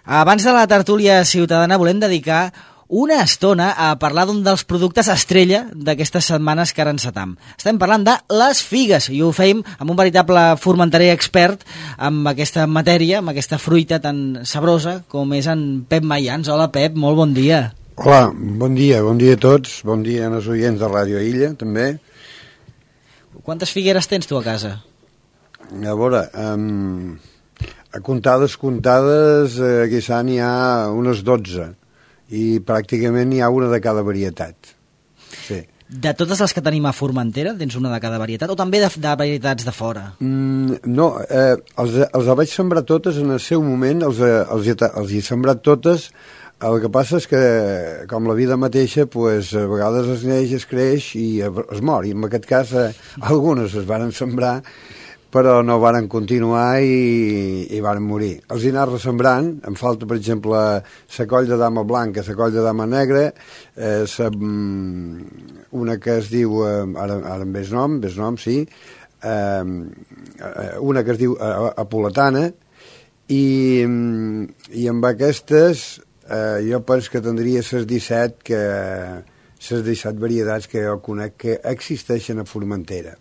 Abans de la tertúlia ciutadana volem dedicar una estona a parlar d'un dels productes estrella d'aquestes setmanes que ara encetam. Estem parlant de les figues i ho fem amb un veritable formenterer expert amb aquesta matèria, amb aquesta fruita tan sabrosa com és en Pep Mayans. Hola Pep, molt bon dia. Hola, bon dia a tots, bon dia als oients de Ràdio Illa també. Quantes figueres tens tu a casa? A veure, a comptades, quizà n'hi ha unes 12 i pràcticament n'hi ha una de cada varietat. Sí. De totes les que tenim a Formentera, tens una de cada varietat o també de varietats de fora? No, els vaig sembrar totes en el seu moment, els he sembrat totes. El que passa és que, com la vida mateixa, pues, a vegades es neix, es creix i es mor. I en aquest cas, algunes es varen sembrar, però no varen continuar i varen morir. Els he anat ressembrant, em falta, per exemple, la coll de dama blanca, la coll de dama negra, una que es diu, ara em ve el nom, sí, una que es diu apoletana, i amb aquestes jo penso que tindria les 17 varietats que jo conec que existeixen a Formentera.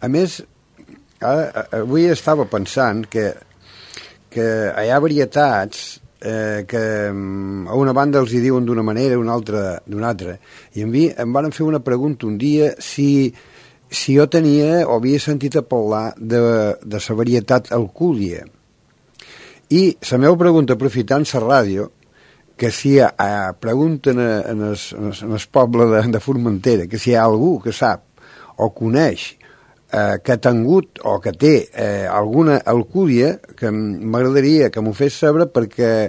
A més, avui estava pensant que hi ha varietats que a una banda els hi diuen d'una manera, a una altra d'una altra, i em van fer una pregunta un dia si jo tenia o havia sentit a parlar de la varietat alcúlia, i la meva pregunta, aprofitant la ràdio, que si pregunten en el poble de Formentera que si hi ha algú que sap o coneix que ha tingut o que té alguna alcúlia, que m'agradaria que m'ho fes saber, perquè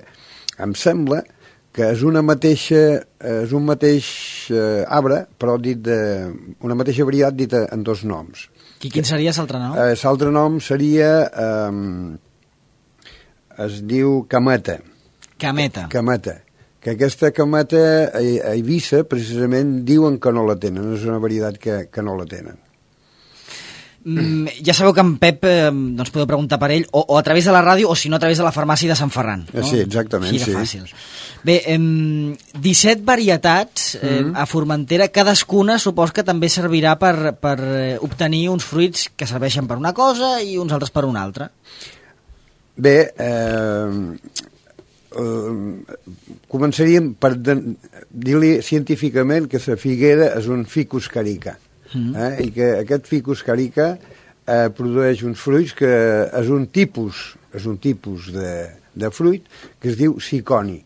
em sembla que és un mateix arbre, però una mateixa varietat dit en dos noms. I quin seria l'altre nom? L'altre nom seria es diu cameta. Cameta. Que aquesta cameta a Eivissa precisament diuen que no la tenen, és una varietat que no la tenen. Ja sabeu que en Pep doncs podeu preguntar per ell o a través de la ràdio o si no a través de la farmàcia de Sant Ferran, no? Sí, exactament. Així de fàcil. Bé, 17 varietats a Formentera, cadascuna supos que també servirà per obtenir uns fruits que serveixen per una cosa i uns altres per una altra. Bé, començaríem per dir-li científicament que la figuera és un ficus carica, i que aquest ficus carica produeix uns fruits que és un tipus de fruit que es diu siconi,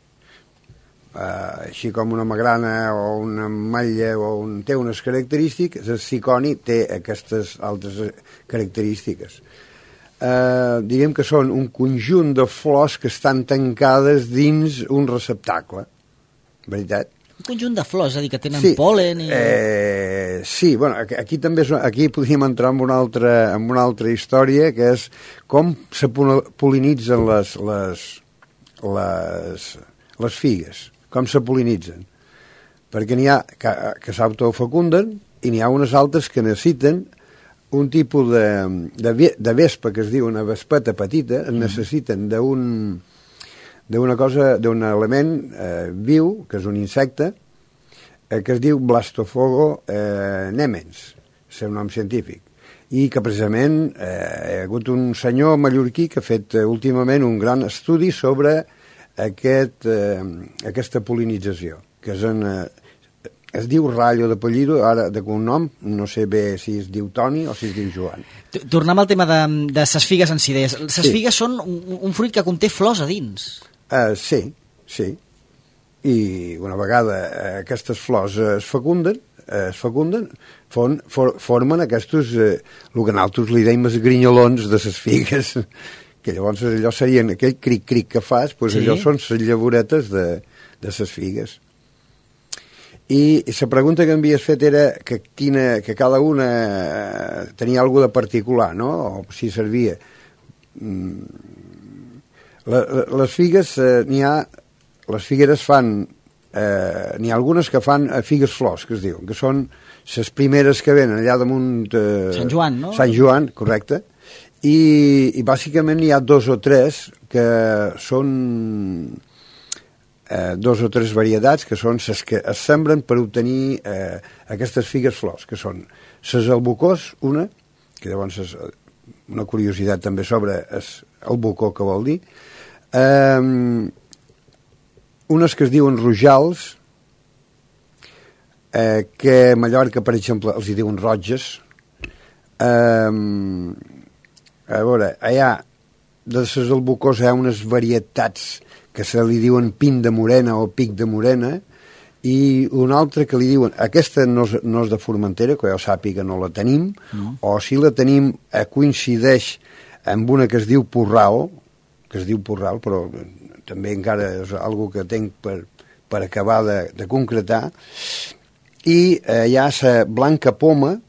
així com una magrana o una ametlla té unes característiques, el siconi té aquestes altres característiques. Diríem que són un conjunt de flors que estan tancades dins un receptacle, veritat? Un conjunt de flors, és a dir, que tenen pol·len i... Sí, bueno, aquí podríem entrar en una altra història, que és com se pol·linitzen les figues, com se pol·linitzen. Perquè n'hi ha que s'autofecunden i n'hi ha unes altres que necessiten un tipus de vespa, que es diu una vespeta petita, necessiten d'un element viu, que és un insecte, que es diu Blastofogo nemens, el seu nom científic, i que precisament hi ha hagut un senyor mallorquí que ha fet últimament un gran estudi sobre aquesta pol·linització, que es diu Rallo d'apellido, ara de cognom, no sé bé si es diu Toni o si es diu Joan. Tornem al tema de ses figues en si deies. Ses figues són un fruit que conté flors a dins. Sí. I una vegada aquestes flors es fecunden, formen aquests, el que nosaltres li deim els grinyolons de ses figues, que llavors allò serien aquell cric-cric que fas, doncs allò són les llavoretes de ses figues. I la pregunta que m'havies fet era que cada una tenia alguna de particular, no? O si servia. Les figues, les figueres fan, n'hi ha algunes que fan figues flors, que es diuen, que són les primeres que venen allà damunt... Sant Joan, no? Sant Joan, correcte. I bàsicament n'hi ha 2 o 3 que són dos o tres varietats, que són les que es sembren per obtenir aquestes figues flors, que són les albucós, una, que llavors és una curiositat també sobre el bucó que vol dir, unes que es diuen rojals, que a Mallorca, per exemple, els hi diuen roges. A veure, allà de les albucós hi ha unes varietats que se li diuen pin de morena o pic de morena, i una altra que li diuen, aquesta no és de Formentera, que jo sàpiga no la tenim, o si la tenim coincideix amb una que es diu Porral, però també encara és algo que tenc per acabar de concretar, i hi ha la blanca poma,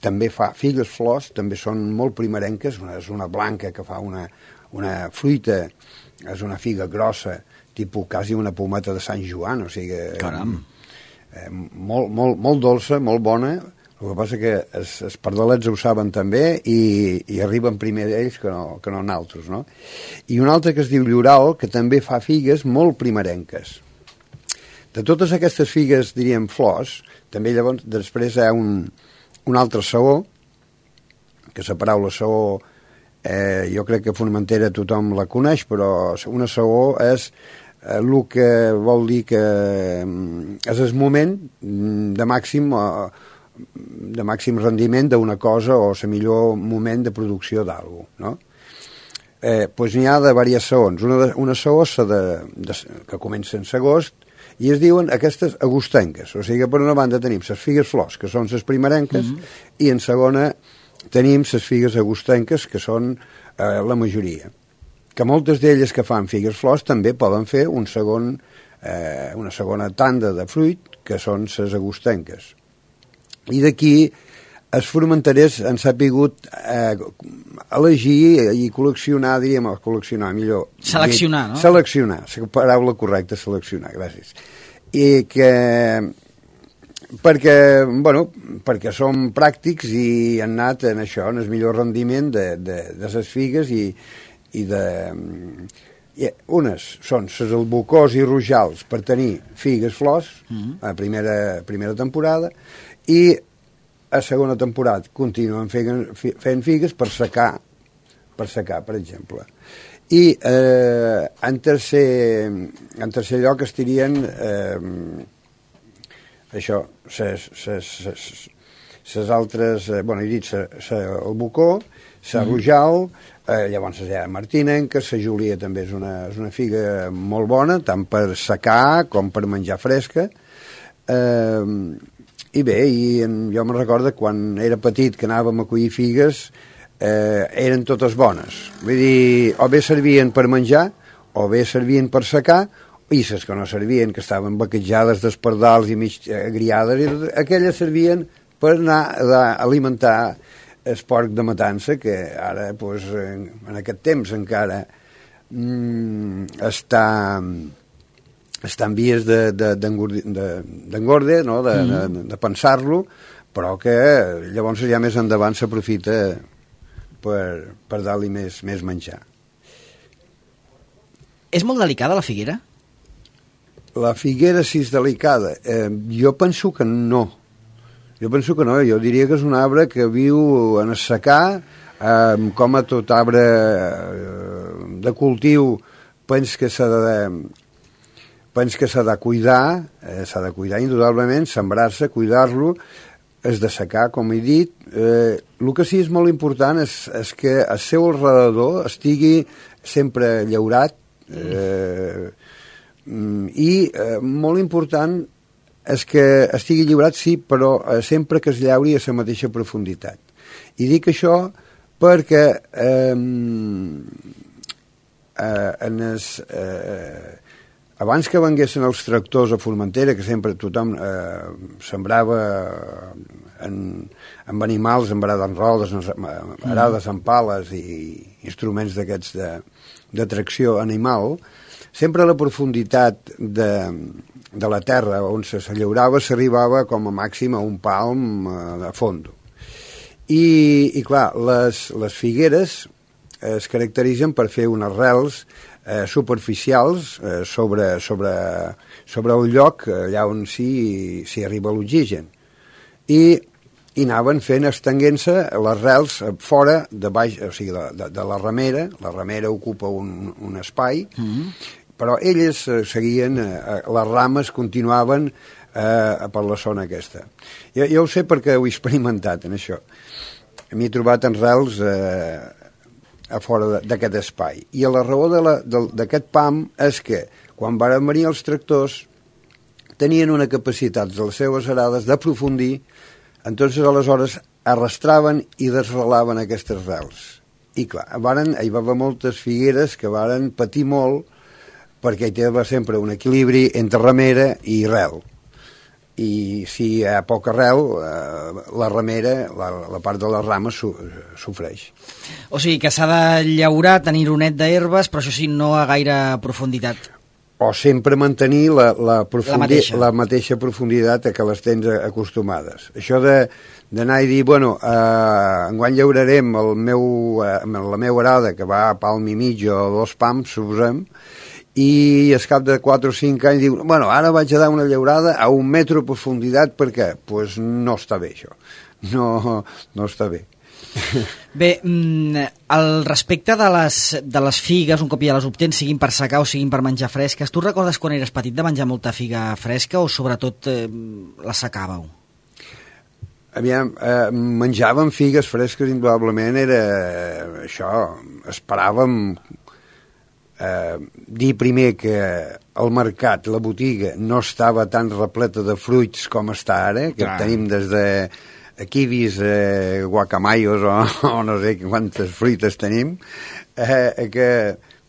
també fa figues flors, també són molt primerenques, és una blanca que fa una fruita, és una figa grossa, tipus quasi una pometa de Sant Joan, o sigui, molt dolça, molt bona. El que passa que els pardalets ho saben també i arriben primer ells que no nosaltres, no? I una altra que es diu Lloral, que també fa figues molt primerenques. De totes aquestes figues, diríem, flors, també llavors després hi ha un altre saó, que la paraula saó jo crec que a Formentera tothom la coneix, però una saó és el que vol dir que és el moment de màxim rendiment d'una cosa o el millor moment de producció d'algú, no? Doncs n'hi ha de diverses saons. Una saó que comença en agost i es diuen aquestes agostenques, o sigui que per una banda tenim les figues flors, que són les primerenques, i en segona tenim les figues agostenques, que són la majoria. Que moltes d'elles que fan figues flors també poden fer una segona tanda de fruit, que són les agostenques. I d'aquí els formenterers han sapigut elegir i col·leccionar, diríem, millor. Seleccionar, no? Seleccionar, la paraula correcta, seleccionar, gràcies. I que perquè som pràctics i han anat en això, en el millor rendiment de les figues i unes són les albucós i rojals per tenir figues flors a primera temporada, i a segona temporada continuen fent figues per secar, per exemple. I en tercer lloc estirien això, les altres, he dit el bucó, la rojal, llavors hi ha martinenca, la Júlia també és una figa molt bona, tant per secar com per menjar fresca. I bé, jo me'n recordo quan era petit que anàvem a collir figues, eren totes bones. Vull dir, o bé servien per menjar, o bé servien per secar, i les que no servien, que estaven baquejades d'espardals i mig agriades, aquelles servien per anar a alimentar el porc de matança, que ara, en aquest temps encara està en vies d'engorde, no? de pensar-lo, però que llavors ja més endavant s'aprofita per dar-li més menjar. És molt delicada la figuera? La figuera, si és delicada, jo penso que no. Jo diria que és un arbre que viu en el secà, com a tot arbre de cultiu, penso que s'ha de cuidar, indudablement, sembrar-se, cuidar-lo, és de secar, com he dit. El que sí és molt important és que el seu alrededor estigui sempre llaurat, i molt important és que estigui lliurat, sí, però sempre que es llauri a la mateixa profunditat. I dic això perquè abans que venguessin els tractors a Formentera, que sempre tothom sembrava amb animals, amb arades en rodes, arades en pales i instruments d'aquests de tracció animal, sempre la profunditat de la terra on se llaurava s'arribava com a màxim a un palm a fondo. I clar, les figueres es caracteritzen per fer unes rels superficials sobre el lloc allà on s'hi arriba l'oxigen. I anaven fent, estenguent-se les rels fora, de baix, o sigui, de la ramera ocupa un espai, però elles seguien, les rames continuaven per la zona aquesta. Jo ho sé perquè ho he experimentat en això. M'he trobat en rels a fora d'aquest espai. I la raó d'aquest PAM és que quan van venir els tractors tenien una capacitat de les seves arades d'aprofundir, entonces aleshores arrastraven i desrelaven aquestes rels. I clar, hi va haver moltes figueres que varen patir molt perquè hi tenia sempre un equilibri entre ramera i rel. I si hi ha poca arrel, la ramera, la part de les rames sofreix. O sigui que s'ha de llaurar, tenir un net d'herbes, però això sí, no a gaire profunditat. O sempre mantenir la mateixa profunditat a què les tens acostumades. Això d'anar i dir, bueno, enguany llaurarem la meva arada, que va a palm i mig o 2 pams, suposem, i al cap de 4 o 5 anys diu, bueno, ara vaig a dar una llaurada a 1 metro de profunditat, per què? Doncs no està bé això, no està bé. Bé, al respecte de les figues, un cop ja les obtens, siguin per secar o siguin per menjar fresques, tu recordes quan eres petit de menjar molta figa fresca o sobretot la secàveu? Aviam, menjàvem figues fresques, indudablement era això, esperàvem dir primer que el mercat, la botiga, no estava tan repleta de fruits com està ara, que tenim des de kiwis, guacamayos o no sé quantes fruites tenim, que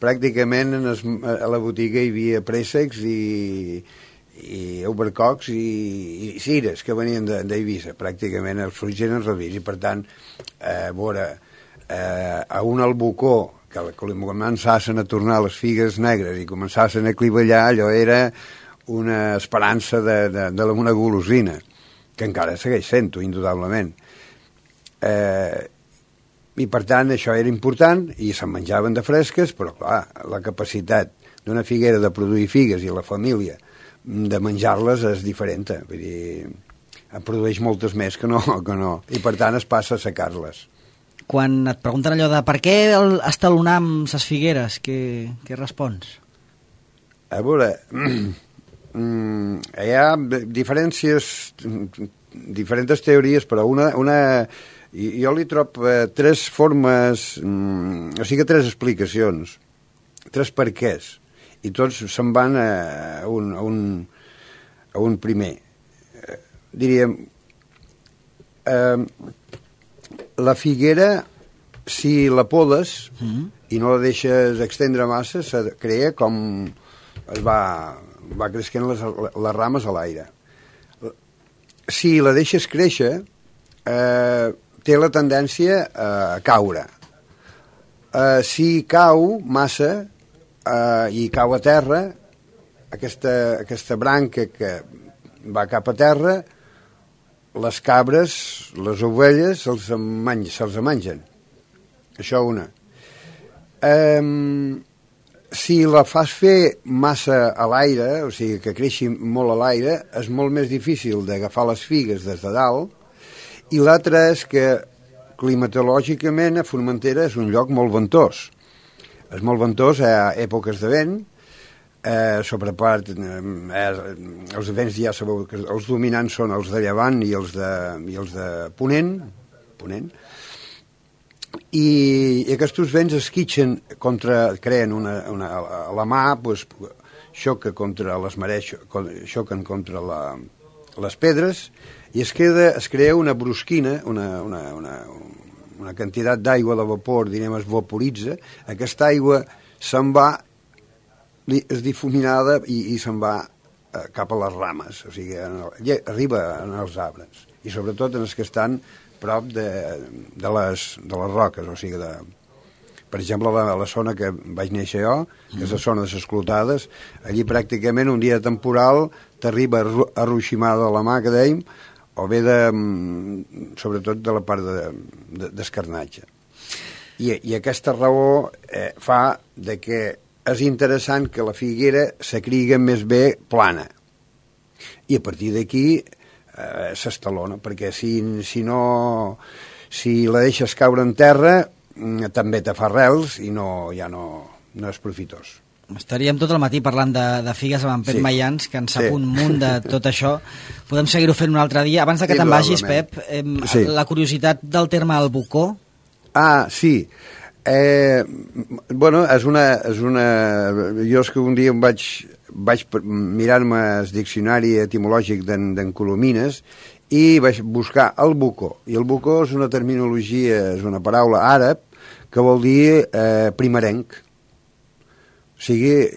pràcticament a la botiga hi havia préssecs i albercocs i cires que venien d'Eivissa. Pràcticament els fruits eren reduïts i per tant a un albocó que començassen a tornar les figues negres i començassen a clivellar, allò era una esperança una golosina, que encara segueix sent-ho, indudablement. I per tant això era important i se'n menjaven de fresques, però clar, la capacitat d'una figuera de produir figues i la família de menjar-les és diferent, vull dir, en produeix moltes més que no, i per tant es passa a secar-les. Quan et pregunten allò de per què estalonam ses figueres, què respons? A veure, hi ha diferents teories, però jo li trobo 3 formes, o sigui, 3 explicacions, 3 perquès, i tots se'n van a un primer. Diríem, la figuera, si la podes i no la deixes extendre massa, se crea com es va creixent les rames a l'aire. Si la deixes créixer, té la tendència a caure. Si cau massa i cau a terra, aquesta branca que va cap a terra, les cabres, les ovelles, se'ls mengen. Això una. Si la fas fer massa a l'aire, o sigui, que creixi molt a l'aire, és molt més difícil d'agafar les figues des de dalt, i l'altre és que climatològicament a Formentera és un lloc molt ventós. És molt ventós a èpoques de vent, sobrepart els vents ja sabeu que els dominants són els de llevant i els de ponent, i aquests vents esquitxen creen a la mà, xoquen contra les marees, xoquen contra les pedres i es crea una brusquina, una quantitat d'aigua de vapor, es vaporitza, aquesta aigua se'n va, és difuminada i se'n va cap a les rames, o sigui, arriba als arbres, i sobretot en els que estan prop de les roques, o sigui, per exemple, la zona que vaig néixer jo, que és la zona de les Clotades, allí pràcticament un dia temporal t'arriba arruiximada a la mà, que dèiem, o bé sobretot de la part d'escarnatge. I aquesta raó fa de que és interessant que la figuera s'acriga més bé plana. I a partir d'aquí s'estalona, perquè si la deixes caure en terra també te fa arrels i ja no és profitós. Estaríem tot el matí parlant de figues amb en Pep Mayans, que en sap un munt de tot això. Podem seguir-ho fent un altre dia. Abans que te'n vagis, Pep, la curiositat del terme albucó. Sí. Bueno, és una... Jo és que un dia em vaig mirar-me el diccionari etimològic d'en Colomines i vaig buscar albucó. I albucó és una terminologia, és una paraula àrab que vol dir primerenc. O sigui,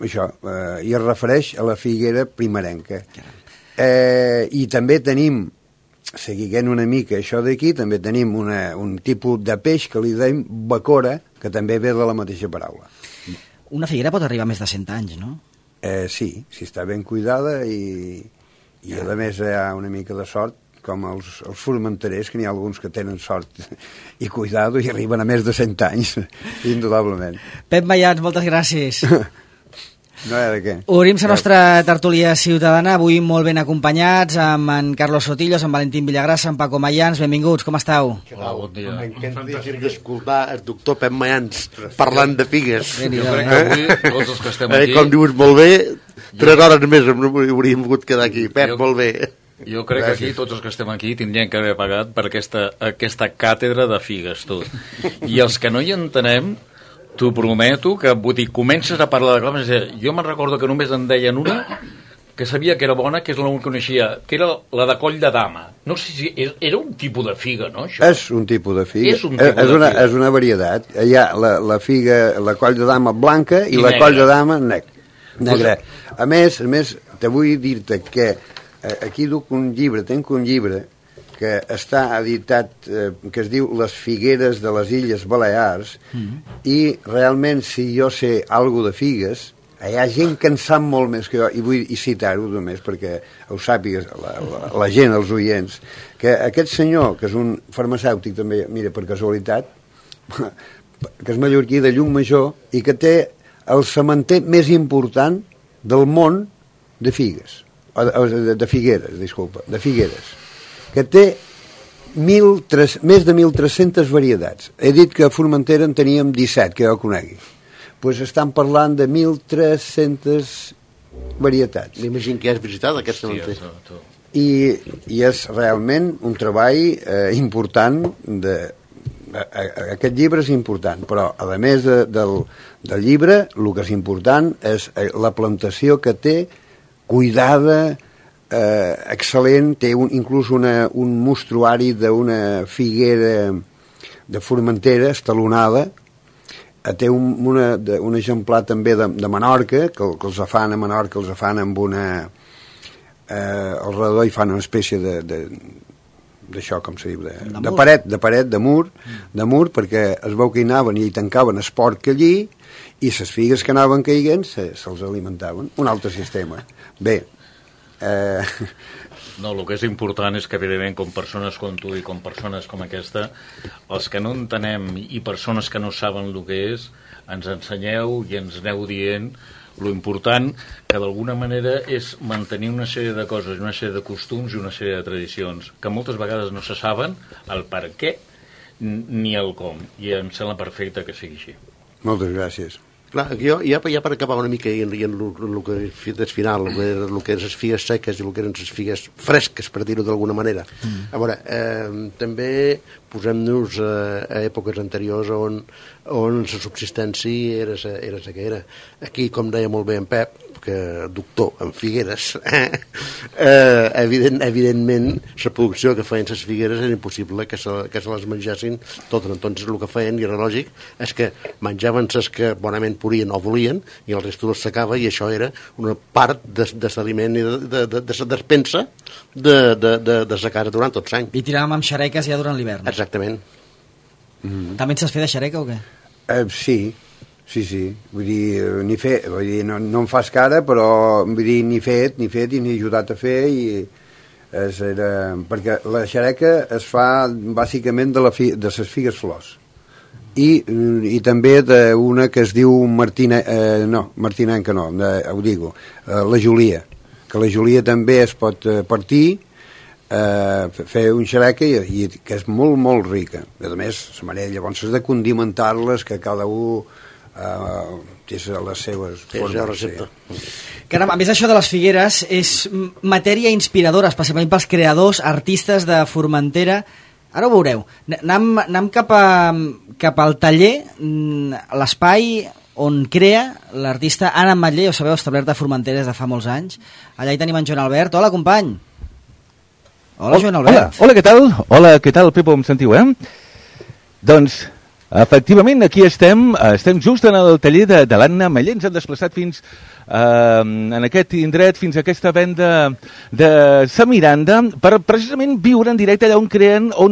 això, i es refereix a la figuera primerenca. I també tenim, seguint una mica això d'aquí, també tenim un tipus de peix que li dèiem bacora, que també ve de la mateixa paraula. Una figuera pot arribar a més de 100 anys, no? Sí, si està ben cuidada i a més hi ha una mica de sort, com els formenterers, que n'hi ha alguns que tenen sort i cuidado i arriben a més de 100 anys, indudablement. Pep Mayans, moltes gràcies. No hi ha de què. Obrim la nostra tertúlia ciutadana, avui molt ben acompanyats, amb en Carlos Sotillos, amb Valentín Villagrasa, amb Paco Mayans. Benvinguts, com estàu? Hola, bon dia. M'encanta d'escoltar el doctor Pep Mayans parlant de figues. Jo crec que avui tots els que estem aquí... Com dius, molt bé, 3 hores més hauríem pogut quedar aquí. Pep, molt bé. Jo crec que aquí tots els que estem aquí tindrien que haver pagat per aquesta càtedra de figues, tot. I els que no hi entenem, t'ho prometo, que vull dir, comences a parlar de coses. Jo me'n recordo que només en deien una que sabia que era bona, que és l'única que coneixia, que era la de coll de dama. No sé si era un tipus de figa, no, això? És un tipus de figa. És una varietat. Hi ha la figa, la coll de dama blanca i la coll de dama negra. A més, te vull dir-te que aquí tenc un llibre que està editat, que es diu Les figueres de les Illes Balears, i realment, si jo sé alguna de figues, hi ha gent que en sap molt més que jo, i vull citar-ho només perquè ho sàpigues la gent, els oients, que aquest senyor, que és un farmacèutic també, mira, per casualitat, que és mallorquí de Llucmajor i que té el sementer més important del món de figues. De figueres, que té més de 1.300 varietats. He dit que a Formentera en teníem 17, que jo conegui. Doncs estan parlant de 1.300 varietats. M'imagino que has visitat aquest sementer. I és realment un treball important. Aquest llibre és important, però a més del llibre, el que és important és la plantació que té, cuidada, excel·lent, té inclús un mostruari d'una figuera de Formentera estalonada, té un exemplar també de Menorca, que els fan a Menorca, els fan amb una... al redor hi fan una espècie d'això, com se diu, de paret, de mur, perquè es veu que hi anaven i hi tancaven el porc allí, i les figues que anaven caiguent se'ls alimentaven. Un altre sistema. Bé. No, el que és important és que, evidentment, com persones com tu i com persones com aquesta, els que no entenem i persones que no saben el que és, ens ensenyeu i ens aneu dient lo important que d'alguna manera és mantenir una sèrie de coses, una sèrie de costums i una sèrie de tradicions que moltes vegades no se saben el per què ni el com, i em sembla perfecte que sigui així. Moltes gràcies. Clar, jo ja per acabar una mica en el que és final, el que eren les figues seques i el que eren les figues fresques, per dir-ho d'alguna manera. A veure, també posem-nos a èpoques anteriors on la subsistència era la que era. Aquí, com deia molt bé en Pep, que doctor en figueres, evidentment la producció que feien les figueres era impossible que se les menjassin totes. Entonces el que feien, i era lògic, és que menjaven les que bonament podien o volien i el resto les secava, i això era una part de l'aliment i de la despensa de la casa durant tot l'any. I tiràvem amb xareques ja durant l'hivern. Exactament. També et saps fer de xareca o què? Sí. Vull dir, no em fas cara, però vull dir, ni fet i n'he ajudat a fer, perquè la xareca es fa bàsicament de les figues flors i també d'una que es diu Martinenca no, ho digo, la Julia, que la Julia també es pot partir, fer un xereca i que és molt, molt rica. A més, la manera llavors és de condimentar-les, que cada un té les seves formes. Caram, a més, això de les figueres és matèria inspiradora, especialment pels creadors, artistes de Formentera. Ara ho veureu. Anem cap al taller, l'espai on crea l'artista Anna Ametller, ho sabeu, establert a Formentera des de fa molts anys. Allà hi tenim en Joan Albert. Hola, company. Hola, Joan Albert. Hola, què tal? Hola, què tal, Pepo, em sentiu, Doncs, efectivament, aquí estem just en el taller de l'Anna Ametller. Ens hem desplaçat fins en aquest indret, fins a aquesta venda de Sa Miranda, per precisament viure en directe allà on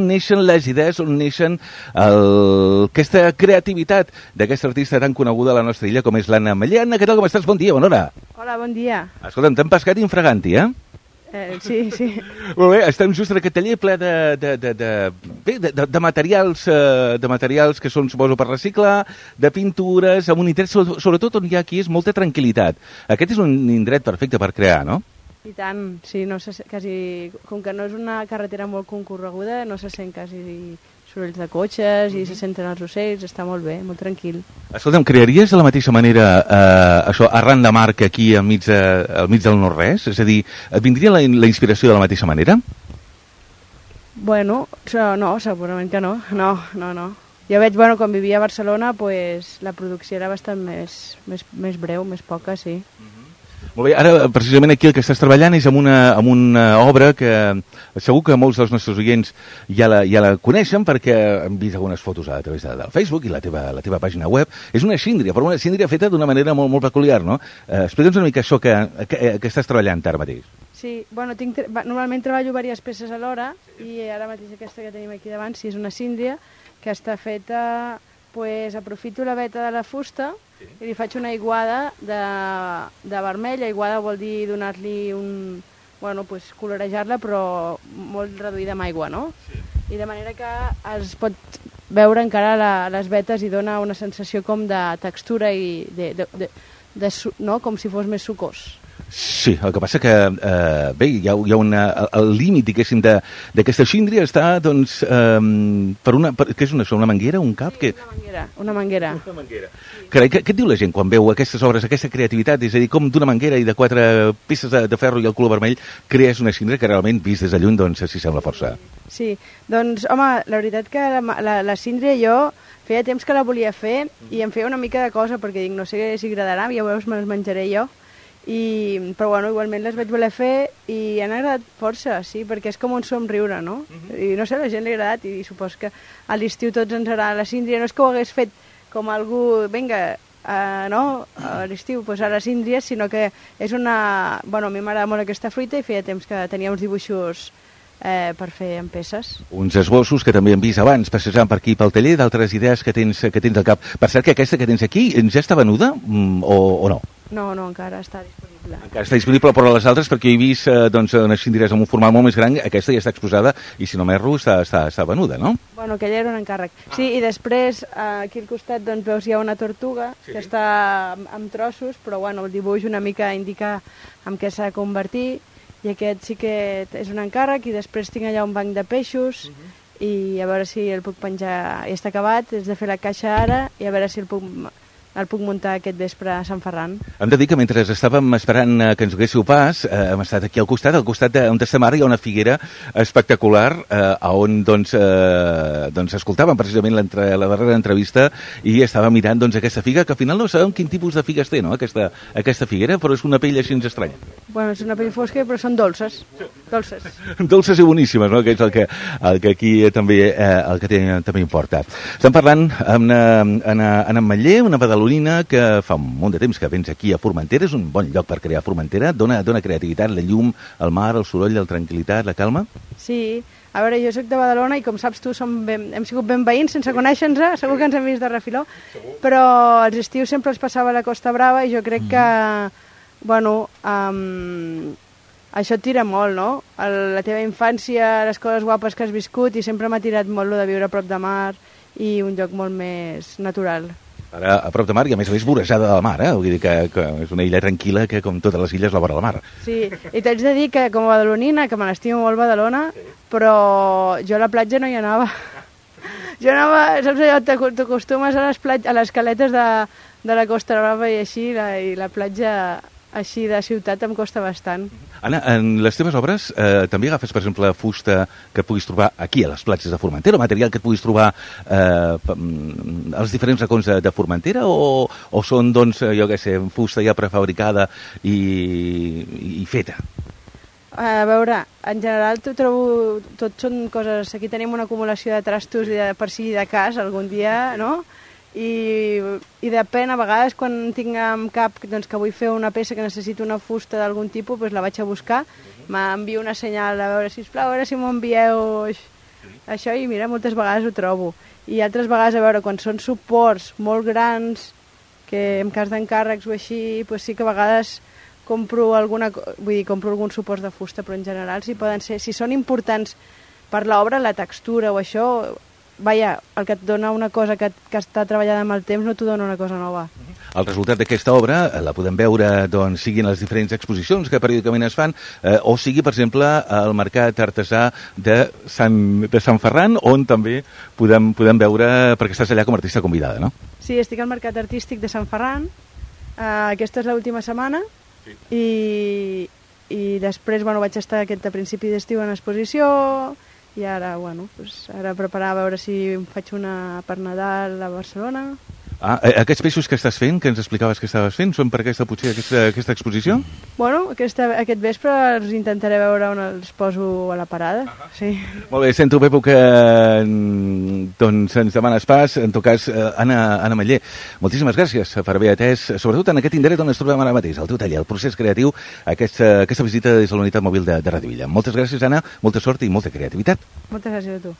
neixen les idees, on neixen aquesta creativitat d'aquesta artista tan coneguda a la nostra illa com és l'Anna Ametller. Anna, què tal, com estàs? Bon dia, bona hora. Hola, bon dia. Escolta'm, t'hem pescat infraganti, Sí. Molt bé, estem just en aquest taller ple de materials que són, suposo, per reciclar, de pintures, amb un indret, sobretot on hi ha aquí és molta tranquil·litat. Aquest és un indret perfecte per crear, no? I tant, sí, no se, quasi, com que no és una carretera molt concorreguda, no se sent quasi sorolls de cotxes i se senten els ocells, està molt bé, molt tranquil. Escolta'm, crearies de la mateixa manera això arran de mar que aquí al mig del no-res? És a dir, et vindria la inspiració de la mateixa manera? Bueno, no, segurament que no. No. Jo veig, quan vivia a Barcelona, pues, la producció era bastant més breu, més poca, sí. Molt bé, ara precisament aquí el que estàs treballant és amb una obra que segur que molts dels nostres oients ja la coneixen perquè han vist algunes fotos a través del Facebook i la teva pàgina web. És una síndria, però una síndria feta d'una manera molt, molt peculiar, no? Explica'ns una mica això que estàs treballant ara mateix. Sí, normalment treballo diverses peces alhora i ara mateix aquesta que tenim aquí davant, sí, és una síndria que està feta, aprofito la veta de la fusta i li faig una aiguada de vermell. Aiguada vol dir donar-li colorejar-la, però molt reduïda amb aigua, no? Sí. I de manera que es pot veure encara les vetes i dona una sensació com de textura i no? Com si fos més sucós. Sí, el que passa que, hi ha el límit, diguéssim, d'aquesta síndria està, doncs, què és una manguera, un cap? Sí, una manguera. Carai, què et diu la gent quan veu aquestes obres, aquesta creativitat? És a dir, com d'una manguera i de 4 peces de ferro i el color vermell crees una síndria que realment, vist des de lluny, doncs, s'hi sembla força. Sí, doncs, home, la veritat que la síndria jo feia temps que la volia fer i em feia una mica de cosa perquè dic, no sé si agradarà, ja veus, me les menjaré jo. Però igualment les vaig voler fer i han agradat força, sí, perquè és com un somriure, no? I no sé, a la gent li ha agradat i supos que a l'estiu tots ens agrada la síndria. No és que ho hagués fet com algú, vinga, no, a l'estiu, a la síndria, sinó que és una... a mi m'agrada molt aquesta fruita i feia temps que tenia uns dibuixos per fer en peces. Uns esbossos que també hem vist abans, passejant per aquí pel taller, d'altres idees que tens al cap. Per cert, que aquesta que tens aquí ja està venuda o no? No, encara està disponible. Encara està disponible, però les altres, perquè he vist unes síndries amb un format molt més gran, aquesta ja està exposada i, si no m'erro, està venuda, no? Bueno, aquella era un encàrrec. Sí, i després, aquí al costat, doncs, veus, hi ha una tortuga que està amb trossos, però, el dibuix una mica indica en què s'ha de convertir, i aquest sí que és un encàrrec, i després tinc allà un banc de peixos, i a veure si el puc penjar. Ja està acabat, és de fer la caixa ara, i a veure si el puc muntar aquest vespre a Sant Ferran. Hem de dir que mentre estàvem esperant que ens haguéssiu pas, hem estat aquí al costat on estem ara hi ha una figuera espectacular on escoltàvem precisament la darrera entrevista i estàvem mirant aquesta figa, que al final no sabem quin tipus de figues té, no? Aquesta figuera, però és una pell així estranya. És una pell fosca, però són dolces. Dolces i boníssimes, no? Que és el que aquí també importa. Estem parlant amb Anna Ametller, una badalonina que fa un munt de temps que vens aquí a Formentera. És un bon lloc per crear Formentera, dona creativitat, la llum, el mar, el soroll, la tranquil·litat, la calma. Sí, a veure, jo soc de Badalona i com saps tu hem sigut ben veïns sense conèixer-nos, segur que ens hem vist de refiló, però als estius sempre els passava a la Costa Brava i jo crec que, això et tira molt, no? La teva infància, les coses guapes que has viscut, i sempre m'ha tirat molt lo de viure a prop de mar i un lloc molt més natural. Ara, a prop de mar, i a més vorejada del mar, Vull dir que és una illa tranquil·la que, com totes les illes, la vora la mar. Sí, i t'haig de dir que com a badalonina, que me l'estimo molt Badalona, però jo a la platja no hi anava. Jo anava, saps allò, t'acostumes a les caletes de la Costa Brava i així, i la platja així de ciutat em costa bastant. Anna, en les teves obres també agafes, per exemple, fusta que puguis trobar aquí a les platges de Formentera, o material que et puguis trobar als diferents racons de Formentera, o són, doncs, jo què sé, fusta ja prefabricada i feta? A veure, en general trobo, tot són coses, aquí tenim una acumulació de trastos per si de cas algun dia, no? I depèn, a vegades quan tinc en cap doncs, que vull fer una peça que necessito una fusta d'algun tipus, doncs la vaig a buscar, m'envio una senyal a veure, sisplau, a veure si m'ho envieu això, i mira, moltes vegades ho trobo. I altres vegades, a veure, quan són suports molt grans, que en cas d'encàrrecs o així, doncs sí que a vegades compro alguns suports de fusta, però en general si poden ser, si són importants per l'obra, la textura o això, vaja, el que et dona una cosa que està treballada amb el temps no t'ho dona una cosa nova. El resultat d'aquesta obra la podem veure, doncs, sigui en les diferents exposicions que periòdicament es fan, o sigui, per exemple, al Mercat Artesà de Sant Ferran, on també podem veure, perquè estàs allà com a artista convidada, no? Sí, estic al Mercat Artístic de Sant Ferran, aquesta és l'última setmana, i després, vaig estar a principi d'estiu en exposició, i ara, ara preparar a veure si em faig una per Nadal a Barcelona. Aquests peixos que estàs fent, que ens explicaves que estaves fent, són per aquesta exposició? Aquest vespre els intentaré veure on els poso a la parada. Sí. Molt bé, sento, Pepo, que doncs ens demanes pas. En tot cas, Anna Meller, moltíssimes gràcies per haver atès, sobretot en aquest indret on ens trobem ara mateix, el teu taller, el procés creatiu, aquesta visita des de la unitat mòbil de Ràdio Villa. Moltes gràcies, Anna, molta sort i molta creativitat. Moltes gràcies a tu.